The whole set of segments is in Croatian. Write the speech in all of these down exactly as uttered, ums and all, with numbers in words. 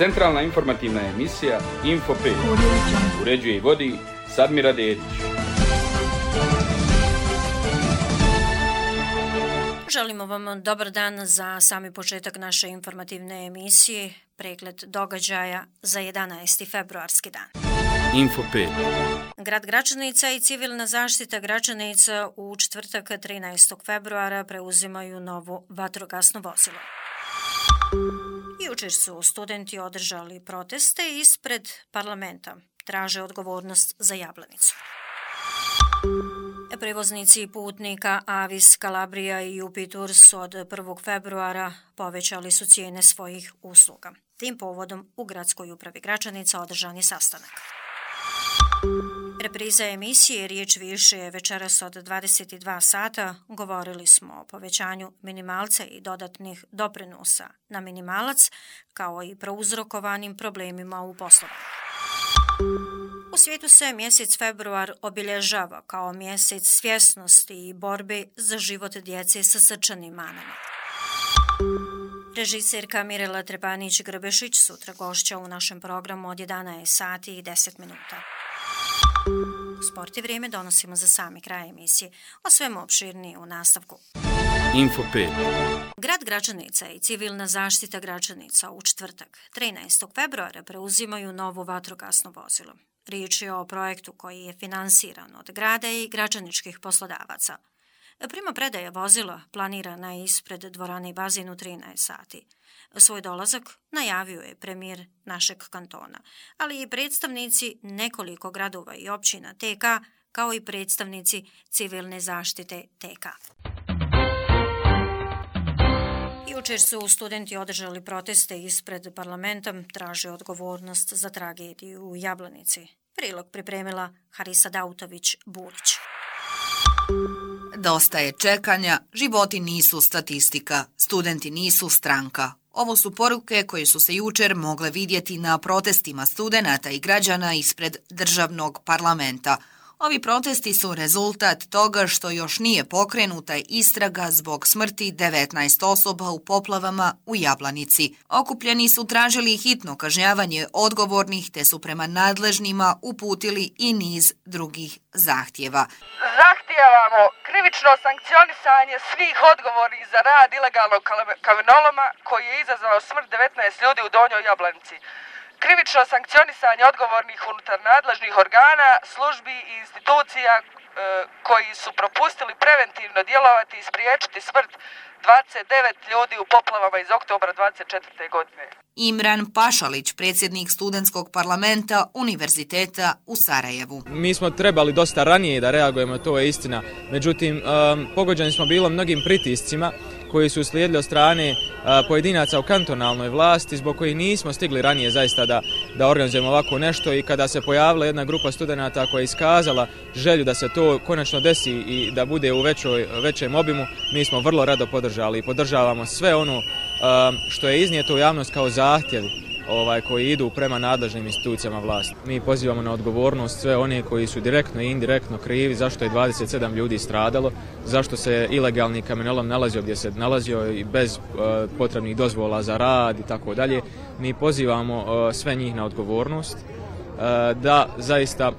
Centralna informativna emisija Info pet. Uređuje i vodi Sadmira Dedić. Želimo vam dobar dan za sami početak naše informativne emisije, pregled događaja za jedanaesti februarski dan. Info pet. Grad Gračanica i civilna zaštita Gračanica u četvrtak trinaestog februara preuzimaju novo vatrogasno vozilo. Jučer su studenti održali proteste ispred parlamenta. Traže odgovornost za Jablanicu. Prevoznici putnika Avis, Kalabrija i U P I Tours od prvog februara povećali su cijene svojih usluga. Tim povodom u Gradskoj upravi Gračanica održan je sastanak. Repriza emisije Riječ više je večeras od dvadeset dva sata. Govorili smo o povećanju minimalca i dodatnih doprinosa na minimalac, kao i prouzrokovanim problemima u poslovanju. U svijetu se mjesec februar obilježava kao mjesec svjesnosti i borbe za život djece sa srčanim manama. Režiserka Mirela Trepanić-Grbešić sutra gošća u našem programu od jedanaest sati i deset minuta. Sport i vrijeme donosimo za sami kraj emisije, o svemu opširnije u nastavku. Info pet. Grad Gračanica i civilna zaštita Gračanica u četvrtak trinaestog februara preuzimaju novo vatrogasno vozilo. Riječ je o projektu koji je finansiran od grada i gračaničkih poslodavaca. Prima predaja vozila planirana je ispred dvorane Bazin u trinaest sati. Svoj dolazak najavio je premijer našeg kantona, ali i predstavnici nekoliko gradova i općina T K, kao i predstavnici civilne zaštite T K. Jučer su studenti održali proteste ispred parlamenta, traže odgovornost za tragediju u Jablanici. Prilog pripremila Harisa Dautović-Bulić. Dosta je čekanja, životi nisu statistika, studenti nisu stranka. Ovo su poruke koje su se jučer mogle vidjeti na protestima studenata i građana ispred državnog parlamenta. Ovi protesti su rezultat toga što još nije pokrenuta istraga zbog smrti devetnaest osoba u poplavama u Jablanici. Okupljeni su tražili hitno kažnjavanje odgovornih te su prema nadležnima uputili i niz drugih zahtjeva. Zahtijevamo krivično sankcionisanje svih odgovornih za rad ilegalnog kamenoloma koji je izazvao smrt devetnaest ljudi u Donjoj Jablanici. Krivično sankcionisanje odgovornih unutar nadležnih organa, službi i institucija e, koji su propustili preventivno djelovati i spriječiti smrt dvadeset devet ljudi u poplavama iz oktobra dvadeset četvrte. godine. Imran Pašalić, predsjednik studentskog parlamenta Univerziteta u Sarajevu. Mi smo trebali dosta ranije da reagujemo, to je istina. Međutim, um, pogođeni smo bilo mnogim pritiscima koji su slijedili od strane a, pojedinaca u kantonalnoj vlasti, zbog kojih nismo stigli ranije zaista da, da organizujemo ovako nešto, i kada se pojavila jedna grupa studenata koja je iskazala želju da se to konačno desi i da bude u većoj, većem obimu, mi smo vrlo rado podržali i podržavamo sve ono a, što je iznijeto u javnost kao zahtjevi ovaj, koji idu prema nadležnim institucijama vlasti. Mi pozivamo na odgovornost sve one koji su direktno i indirektno krivi zašto je dvadeset sedam ljudi stradalo, zašto se ilegalni kamenolom nalazio gdje se nalazio i bez uh, potrebnih dozvola za rad i tako dalje. Mi pozivamo uh, sve njih na odgovornost uh, da zaista uh,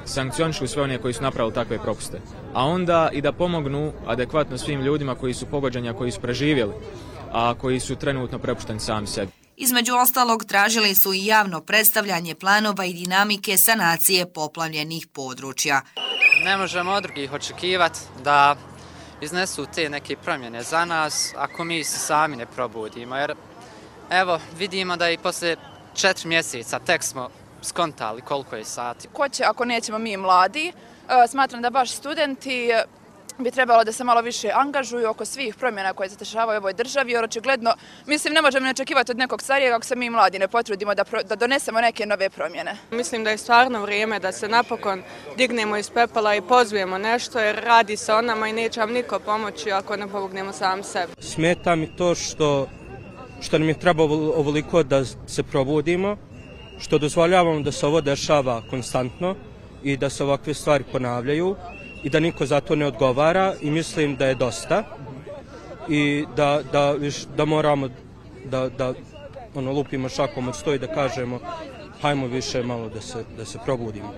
sankcionišu sve one koji su napravili takve propuste, a onda i da pomognu adekvatno svim ljudima koji su pogođeni, a koji su preživjeli, a koji su trenutno prepušteni sami sebi. Između ostalog, tražili su i javno predstavljanje planova i dinamike sanacije poplavljenih područja. Ne možemo od drugih očekivati da iznesu te neke promjene za nas ako mi se sami ne probudimo. Jer evo, vidimo da i poslije četiri mjeseca tek smo skontali koliko je sati. Ko će ako nećemo mi mladi? Smatram da baš studenti bi trebalo da se malo više angažuju oko svih promjena koje se dešavaju u ovoj državi, jer očigledno, mislim, ne možemo ne očekivati od nekog starijeg ako se mi mladi ne potrudimo da, pro, da donesemo neke nove promjene. Mislim da je stvarno vrijeme da se napokon dignemo iz pepela i pozujemo nešto, jer radi se o nama i neće vam niko pomoći ako ne pomognemo sam sebi. Smeta mi to što, što nam je treba ovoliko da se probudimo, što dozvoljavamo da se ovo dešava konstantno i da se ovakve stvari ponavljaju i da niko za to ne odgovara, i mislim da je dosta i da, da, da moramo da, da ono, lupimo šakom od sto i da kažemo hajmo više malo da se, da se probudimo.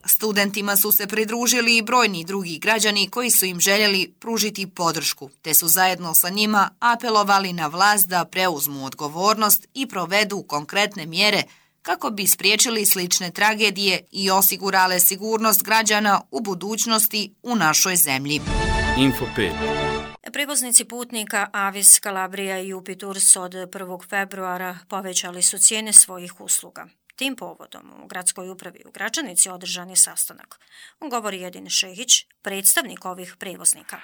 Studentima su se pridružili i brojni drugi građani koji su im željeli pružiti podršku, te su zajedno sa njima apelovali na vlast da preuzmu odgovornost i provedu konkretne mjere kako bi spriječili slične tragedije i osigurale sigurnost građana u budućnosti u našoj zemlji. Info pet. Prevoznici putnika Avis, Kalabrija i Jupi Tours od prvog februara povećali su cijene svojih usluga. Tim povodom u gradskoj upravi u Gračanici održan je sastanak. On govori Edin Šehić, predstavnik ovih prevoznika.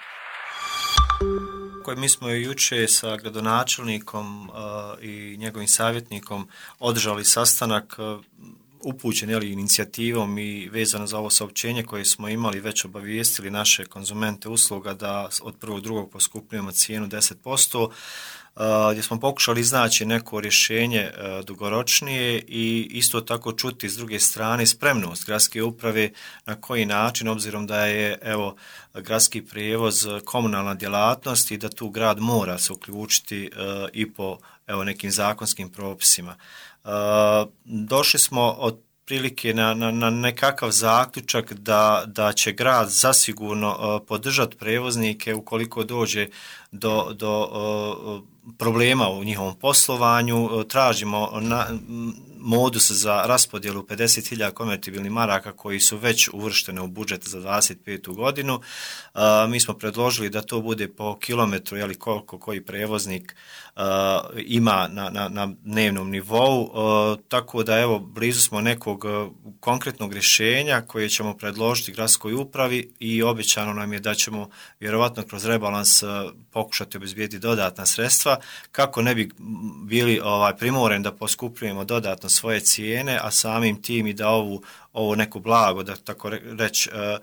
Mi smo juče sa gradonačelnikom uh, i njegovim savjetnikom održali sastanak uh, upućen jeli, inicijativom i vezano za ovo saopćenje koje smo imali, već obavijestili naše konzumente usluga da od prvog drugog poskupljujemo cijenu deset posto, uh, gdje smo pokušali iznaći neko rješenje uh, dugoročnije i isto tako čuti s druge strane spremnost gradske uprave na koji način, obzirom da je evo gradski prijevoz komunalna djelatnost i da tu grad mora se uključiti uh, i po evo nekim zakonskim propisima. Uh, došli smo od prilike na, na, na nekakav zaključak da, da će grad zasigurno uh, podržati prevoznike ukoliko dođe do, do uh, problema u njihovom poslovanju. Uh, tražimo na, modus za raspodjelu pedeset hiljada konvertibilnih maraka koji su već uvrštene u budžet za dvadeset petu godinu. Uh, mi smo predložili da to bude po kilometru, jeli koliko koji prevoznik uh, ima na, na, na dnevnom nivou, uh, tako da evo blizu smo nekog uh, konkretnog rješenja koje ćemo predložiti gradskoj upravi i obećano nam je da ćemo vjerovatno kroz rebalans uh, pokušati obezbijediti dodatna sredstva kako ne bi bili ovaj, primoreni da poskupljujemo dodatno svoje cijene, a samim tim i da ovu, ovo neko blago, da tako reći, uh,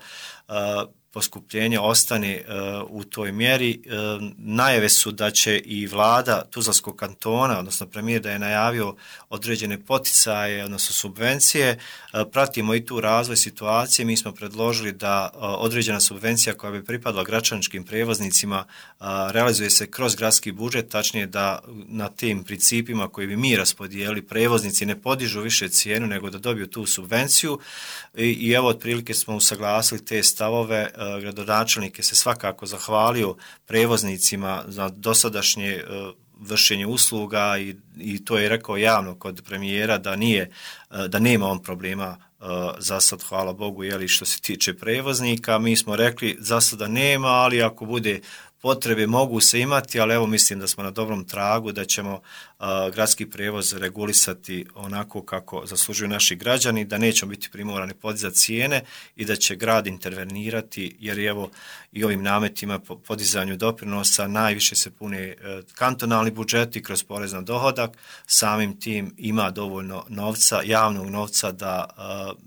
uh, poskupljenje ostane uh, u toj mjeri. Uh, najave su da će i vlada Tuzlanskog kantona, odnosno premijer da je najavio određene poticaje, odnosno subvencije. Uh, pratimo i tu razvoj situacije. Mi smo predložili da uh, određena subvencija koja bi pripadala gračaničkim prevoznicima uh, realizuje se kroz gradski budžet, tačnije da na tim principima koji bi mi raspodijeli prevoznici ne podižu više cijenu nego da dobiju tu subvenciju. I, i evo otprilike smo usaglasili te stavove. Gradonačelnik je se svakako zahvalio prevoznicima za dosadašnje uh, vršenje usluga i, i to je rekao javno kod premijera da nije, uh, da nema on problema uh, za sad, hvala Bogu, jeli, što se tiče prevoznika. Mi smo rekli za sada nema, ali ako bude potrebe mogu se imati, ali evo mislim da smo na dobrom tragu, da ćemo uh, gradski prevoz regulisati onako kako zaslužuju naši građani, da nećemo biti primorani podizati cijene i da će grad intervenirati, jer evo i ovim nametima po podizanju doprinosa najviše se pune uh, kantonalni budžeti kroz porez na dohodak, samim tim ima dovoljno novca, javnog novca da uh,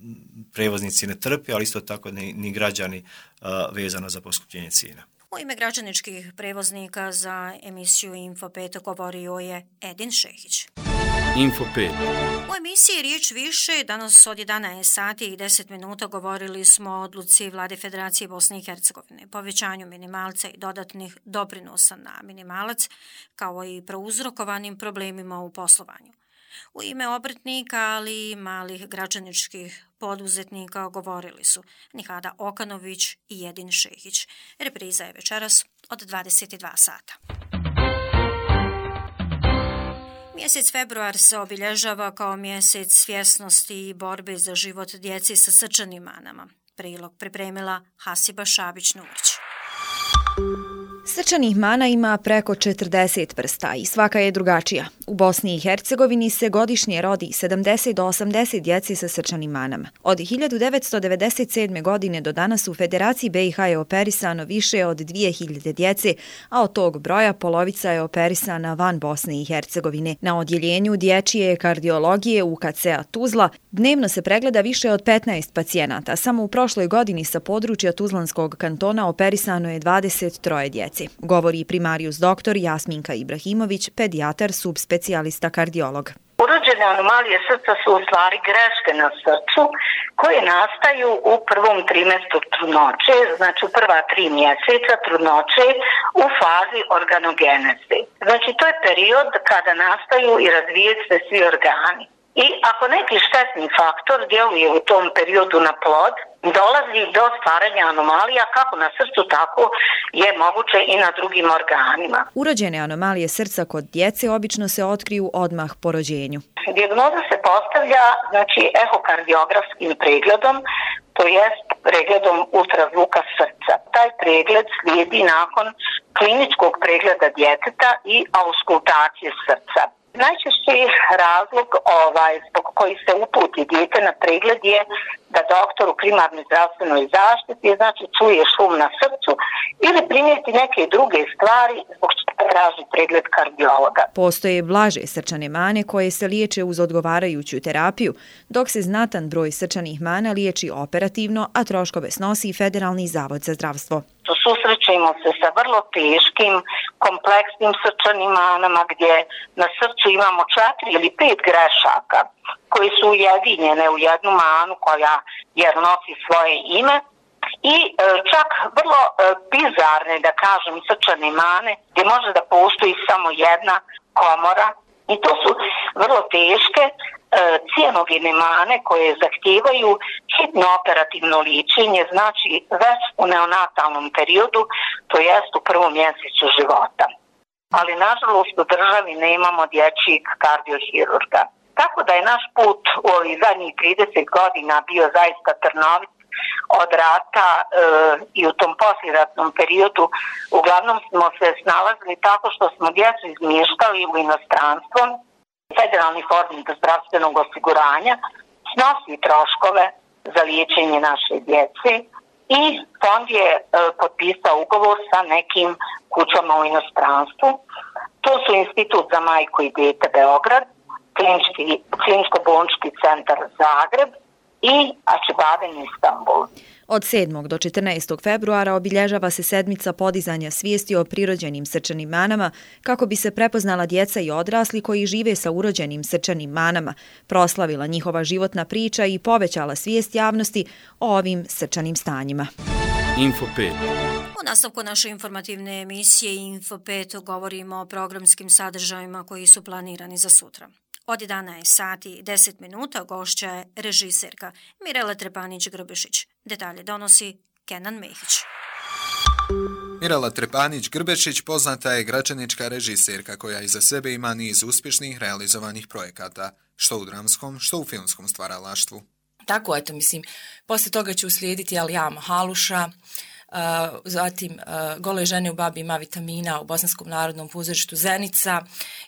prevoznici ne trpi, ali isto tako ni, ni građani uh, vezano za poskupljenje cijena. U ime građaničkih prevoznika za emisiju Info pet govorio je Edin Šehić. Info pet. U emisiji Riječ više danas od jedanaest sati i deset minuta govorili smo o odluci Vlade Federacije Bosne i Hercegovine, povećanju minimalca i dodatnih doprinosa na minimalac, kao i prouzrokovanim problemima u poslovanju. U ime obrtnika, ali i malih građaničkih poduzetnika govorili su Nihada Okanović i Edin Šehić. Repriza je večeras od dvadeset dva sata. Mjesec februar se obilježava kao mjesec svjesnosti i borbe za život djeci sa srčanim manama. Prilog pripremila Hasiba Šabić-Nurić. Srčanih mana ima preko četrdeset vrsta i svaka je drugačija. U Bosni i Hercegovini se godišnje rodi sedamdeset do osamdeset djeci sa srčanim manama. Od hiljadu devetsto devedeset sedme. godine do danas u Federaciji B i H je operisano više od dvije hiljade djece, a od tog broja polovica je operisana van Bosne i Hercegovine. Na odjeljenju dječje kardiologije U K C-a Tuzla dnevno se pregleda više od petnaest pacijenata. Samo u prošloj godini sa područja Tuzlanskog kantona operisano je dvadeset troje djece. Govori primarijus doktor Jasminka Ibrahimović, pedijatar subspecijalista kardiolog. Urođene anomalije srca su u stvari greške na srcu koje nastaju u prvom trimestru trudnoće, znači u prva tri mjeseca trudnoće u fazi organogeneze. Znači to je period kada nastaju i razvijaju se svi organi. I ako neki štetni faktor djeluje u tom periodu na plod, dolazi do stvaranja anomalija kako na srcu, tako je moguće i na drugim organima. Urođene anomalije srca kod djece obično se otkriju odmah po rođenju. Dijagnoza se postavlja znači ehokardiografskim pregledom, to jest pregledom ultrazvuka srca. Taj pregled slijedi nakon kliničkog pregleda djeteta i auskultacije srca. Najčešći razlog ovaj, zbog koji se uputi dijete na pregled je da doktor u primarnoj zdravstvenoj zaštiti znači čuje šum na srcu ili primijeti neke druge stvari zbog čega traži pregled kardiologa. Postoje blaže srčane mane koje se liječe uz odgovarajuću terapiju, dok se znatan broj srčanih mana liječi operativno, a troškove snosi Federalni zavod za zdravstvo. Susrećemo se sa vrlo teškim, kompleksnim srčanim manama gdje na srcu imamo četiri ili pet grešaka koje su ujedinjene u jednu manu koja jer nosi svoje ime i e, čak vrlo e, bizarne, da kažem, srčane mane gdje može da postoji samo jedna komora i to su vrlo teške e, cijenogene mane koje zahtijevaju hitno operativno liječenje, znači već u neonatalnom periodu, to jest u prvom mjesecu života. Ali nažalost u državi nemamo dječjeg kardiohirurga. Tako da je naš put u ovih zadnjih trideset godina bio zaista trnovit. Od rata e, i u tom posljeratnom periodu uglavnom smo se snalazili tako što smo djecu izmještali u inostranstvo. Federalni fond zdravstvenog osiguranja snosi troškove za liječenje naše djece i fond je e, potpisao ugovor sa nekim kućama u inostranstvu. To su Institut za majku i dijete Beograd, Kliničko-bolnički centar Zagreb i Acıbadem Istanbul. Od sedmog do četrnaestog februara obilježava se sedmica podizanja svijesti o prirođenim srčanim manama kako bi se prepoznala djeca i odrasli koji žive sa urođenim srčanim manama, proslavila njihova životna priča i povećala svijest javnosti o ovim srčanim stanjima. Info pet. U nastavku naše informativne emisije Info pet govorimo o programskim sadržajima koji su planirani za sutra. Od jedanaest sati i deset minuta gošća je režiserka Mirela Trepanić-Grbešić. Detalje donosi Kenan Mehić. Mirela Trepanić-Grbešić poznata je gračanička režiserka koja iza sebe ima niz uspješnih realizovanih projekata, što u dramskom, što u filmskom stvaralaštvu. Tako, eto, mislim, poslije toga će uslijediti Alijama Haluša, Uh, zatim uh, Gole žene u babi ima vitamina u Bosanskom narodnom pozorištu Zenica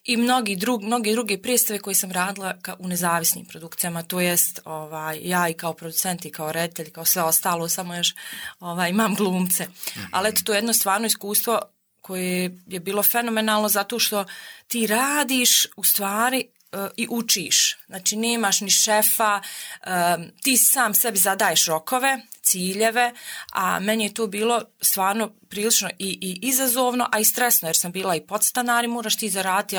i mnogi, drug, mnogi druge predstave koje sam radila ka, u nezavisnim produkcijama, to jest ovaj, ja i kao producent i kao reditelj, kao sve ostalo, samo još ovaj, imam glumce. Mm-hmm. Ali eto, to je jedno stvarno iskustvo koje je bilo fenomenalno zato što ti radiš u stvari i učiš. Znači, nemaš ni šefa, ti sam sebi zadaješ rokove, ciljeve, a meni je to bilo stvarno prilično i, i izazovno, a i stresno, jer sam bila i podstanar i moraš ti zaraditi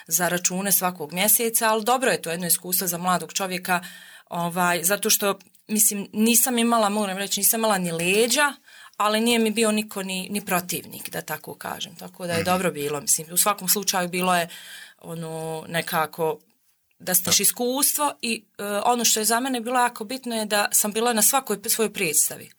za račune svakog mjeseca, ali dobro je to jedno iskustvo za mladog čovjeka, ovaj, zato što, mislim, nisam imala, moram reći, nisam imala ni leđa, ali nije mi bio niko ni, ni protivnik, da tako kažem. Tako da je dobro bilo, mislim, u svakom slučaju bilo je ono nekako da stiš iskustvo i uh, ono što je za mene bilo jako bitno je da sam bila na svakoj svojoj predstavi.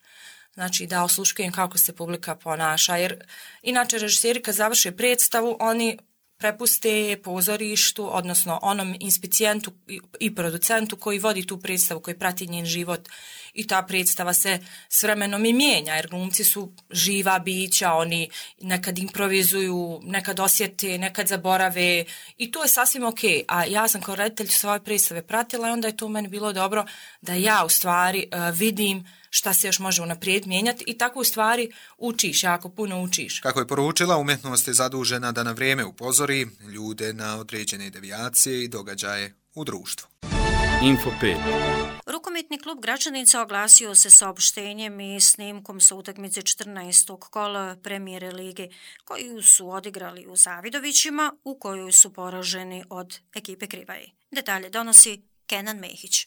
Znači da osluškujem kako se publika ponaša, jer inače režiseri kad završe predstavu, oni prepuste pozorištu, odnosno onom inspicijentu i producentu koji vodi tu predstavu, koji prati njen život i ta predstava se s vremenom i mijenja, jer glumci su živa bića, oni nekad improvizuju, nekad osjete, nekad zaborave i to je sasvim ok, a ja sam kao reditelj svoje predstave pratila i onda je to u meni bilo dobro da ja u stvari uh, vidim šta se još može unaprijed mijenjati i tako u stvari učiš, jako puno učiš. Kako je poručila, umjetnost je zadužena da na vrijeme upozori ljude na određene devijacije i događaje u društvu. Info pet. Rukometni klub Gračanica oglasio se saopštenjem i snimkom sa utakmice četrnaestog kola Premijere lige, koju su odigrali u Zavidovićima, u kojoj su poraženi od ekipe Krivaje. Detalje donosi Kenan Mehić.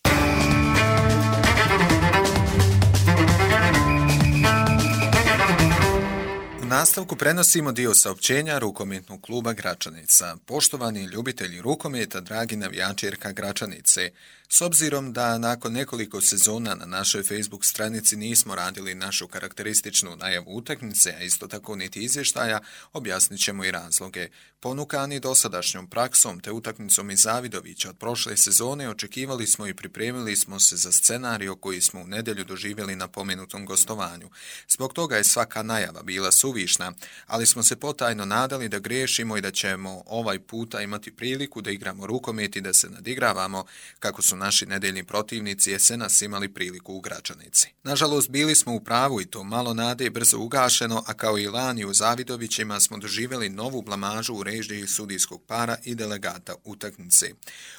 U nastavku prenosimo dio saopćenja Rukometnog kluba Gračanica. Poštovani ljubitelji rukometa, dragi navijači R K Gračanice, s obzirom da nakon nekoliko sezona na našoj Facebook stranici nismo radili našu karakterističnu najavu utakmice, a isto tako niti izvještaja, objasnit ćemo i razloge. Ponukani dosadašnjom praksom te utakmicom iz Zavidovića od prošle sezone, očekivali smo i pripremili smo se za scenario koji smo u nedjelju doživjeli na pomenutom gostovanju. Zbog toga je svaka najava bila suvišna, ali smo se potajno nadali da griješimo i da ćemo ovaj puta imati priliku da igramo rukomet i da se nadigravamo kako su naši nedeljni protivnici jesenas imali priliku u Gračanici. Nažalost, bili smo u pravu i to malo nade je brzo ugašeno, a kao i lani u Zavidovićima smo doživjeli novu blamažu u režiji sudijskog para i delegata utakmice.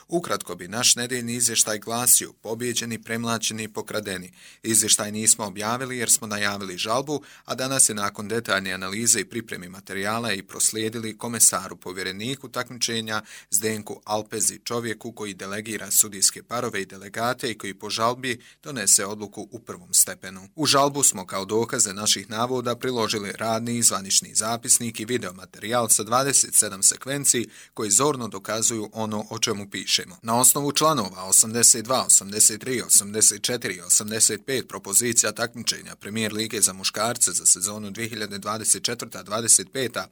Ukratko bi naš nedeljni izvještaj glasio: pobjeđeni, premlaćeni i pokradeni. Izvještaj nismo objavili jer smo najavili žalbu, a danas je nakon detaljne analize i pripremi materijala i proslijedili komesaru povjereniku takmičenja Zdenku Alpezi, čovjeku koji delegira sudijske parove i delegate i koji po žalbi donese odluku u prvom stepenu. U žalbu smo kao dokaze naših navoda priložili radni i zvanični zapisnik i videomaterijal sa dvadeset sedam sekvenci koji zorno dokazuju ono o čemu pišemo. Na osnovu članova osamdeset dva, osamdeset tri, osamdeset četiri i osamdeset pet propozicija takmičenja Premijer lige za muškarce za sezonu dvije hiljade dvadeset četvrte dvadeset pete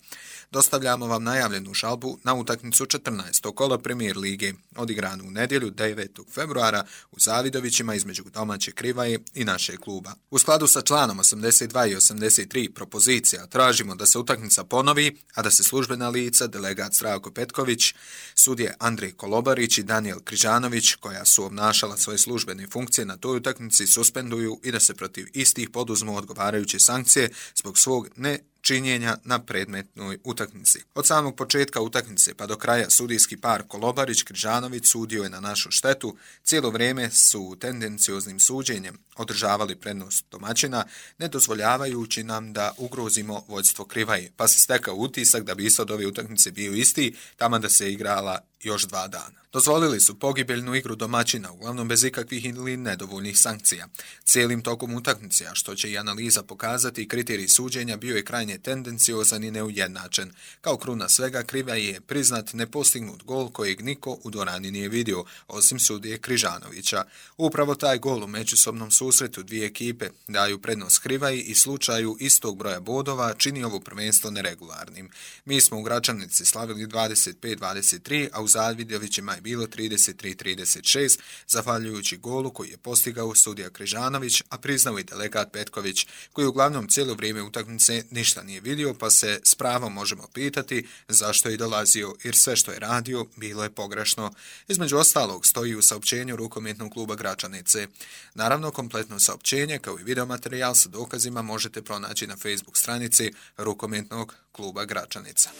dostavljamo vam najavljenu žalbu na utakmicu četrnaestog kola Premijer lige, odigranu u nedjelju devetog februara u Zavidovićima između domaće Krivaje i našeg kluba. U skladu sa članom osamdeset dva i osamdeset tri propozicija tražimo da se utakmica ponovi, a da se službena lica, delegat Zdravko Petković, sudije Andrej Kolobarić i Danijel Križanović, koja su obnašala svoje službene funkcije na toj utakmici, suspenduju i da se protiv istih poduzmu odgovarajuće sankcije zbog svog ne činjenja na predmetnoj utakmici. Od samog početka utakmice pa do kraja sudijski par Kolobarić-Križanović sudio je na našu štetu. Cijelo vrijeme su tendencioznim suđenjem održavali prednost domaćina, ne dozvoljavajući nam da ugrozimo vođstvo Krivaje, pa se stekao utisak da bi ishod ove utakmice bio isti, tamo da se igrala još dva dana. Dozvolili su pogibeljnu igru domaćina, uglavnom bez ikakvih ili nedovoljnih sankcija. Cijelim tokom utakmice, a što će i analiza pokazati, kriterij suđenja bio je krajnje tendenciozan i neujednačen. Kao kruna svega, Krivaje je priznat nepostignut gol kojeg niko u dvorani nije vidio, osim sudije Križanovića. Upravo taj gol u međusobnom susretu dvije ekipe daju prednost Krivaji i slučaju istog broja bodova čini ovo prvenstvo neregularnim. Mi smo u Gračanici slavili dvadeset pet dvadeset tri, a u Zavidovićima je bilo trideset tri trideset šest, zahvaljujući golu koji je postigao sudija Križanović, a priznao i delegat Petković, koji uglavnom cijelo vrijeme utakmice ništa nije vidio, pa se s pravom možemo pitati zašto je dolazio, jer sve što je radio bilo je pogrešno. Između ostalog stoji u saopćenju Rukometnog kluba Gračanice. Naravno, kompletno saopćenje kao i videomaterijal sa dokazima možete pronaći na Facebook stranici Rukometnog kluba Gračanica.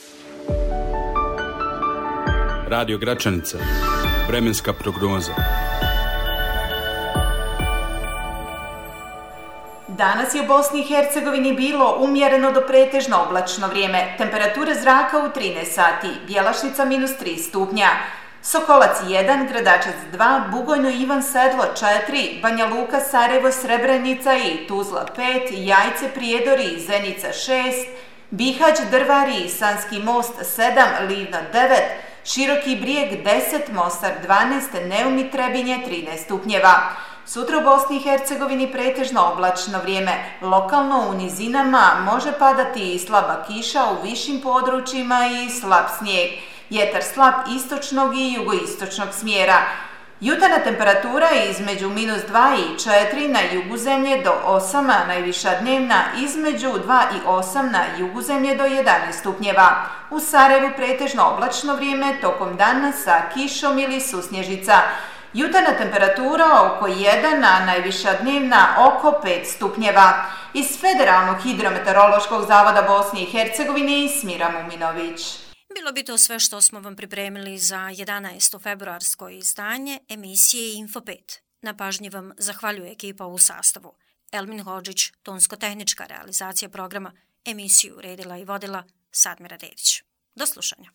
Radio Gračanica. Vremenska prognoza. Danas je u Bosni i Hercegovini bilo umjereno do pretežno oblačno vrijeme. Temperatura zraka u trinaest sati, Bjelašnica minus tri stupnja. Sokolac jedan, Gradačac dva, Bugojno Ivan Sedlo četiri, Banja Luka, Sarajevo, Srebrenica i Tuzla pet, Jajce, Prijedori, Zenica šest, Bihać, Drvari, Sanski most sedam, Livno devet, Široki Brijeg deset, Mostar dvanaest, Neum i Trebinje trinaest stupnjeva. Sutra u Bosni i Hercegovini pretežno oblačno vrijeme. Lokalno u nizinama može padati i slaba kiša u višim područjima i slab snijeg. Vjetar slab istočnog i jugoistočnog smjera. Jutarnja temperatura između minus dva i četiri na jugu zemlje do osam, a najviša dnevna između dva i osam na jugu zemlje do jedanaest stupnjeva. U Sarajevu pretežno oblačno vrijeme tokom dana sa kišom ili susnježica. Jutarnja temperatura oko jedan, a najviša dnevna oko pet stupnjeva. Iz Federalnog hidrometeorološkog zavoda Bosne i Hercegovine Smira Muminović. Bilo bi to sve što smo vam pripremili za jedanaesto februarsko izdanje emisije Info pet. Na pažnji vam zahvaljuje ekipa u sastavu. Elmin Hodžić, tonsko-tehnička realizacija programa, emisiju uredila i vodila Sadmira Dedić. Do slušanja.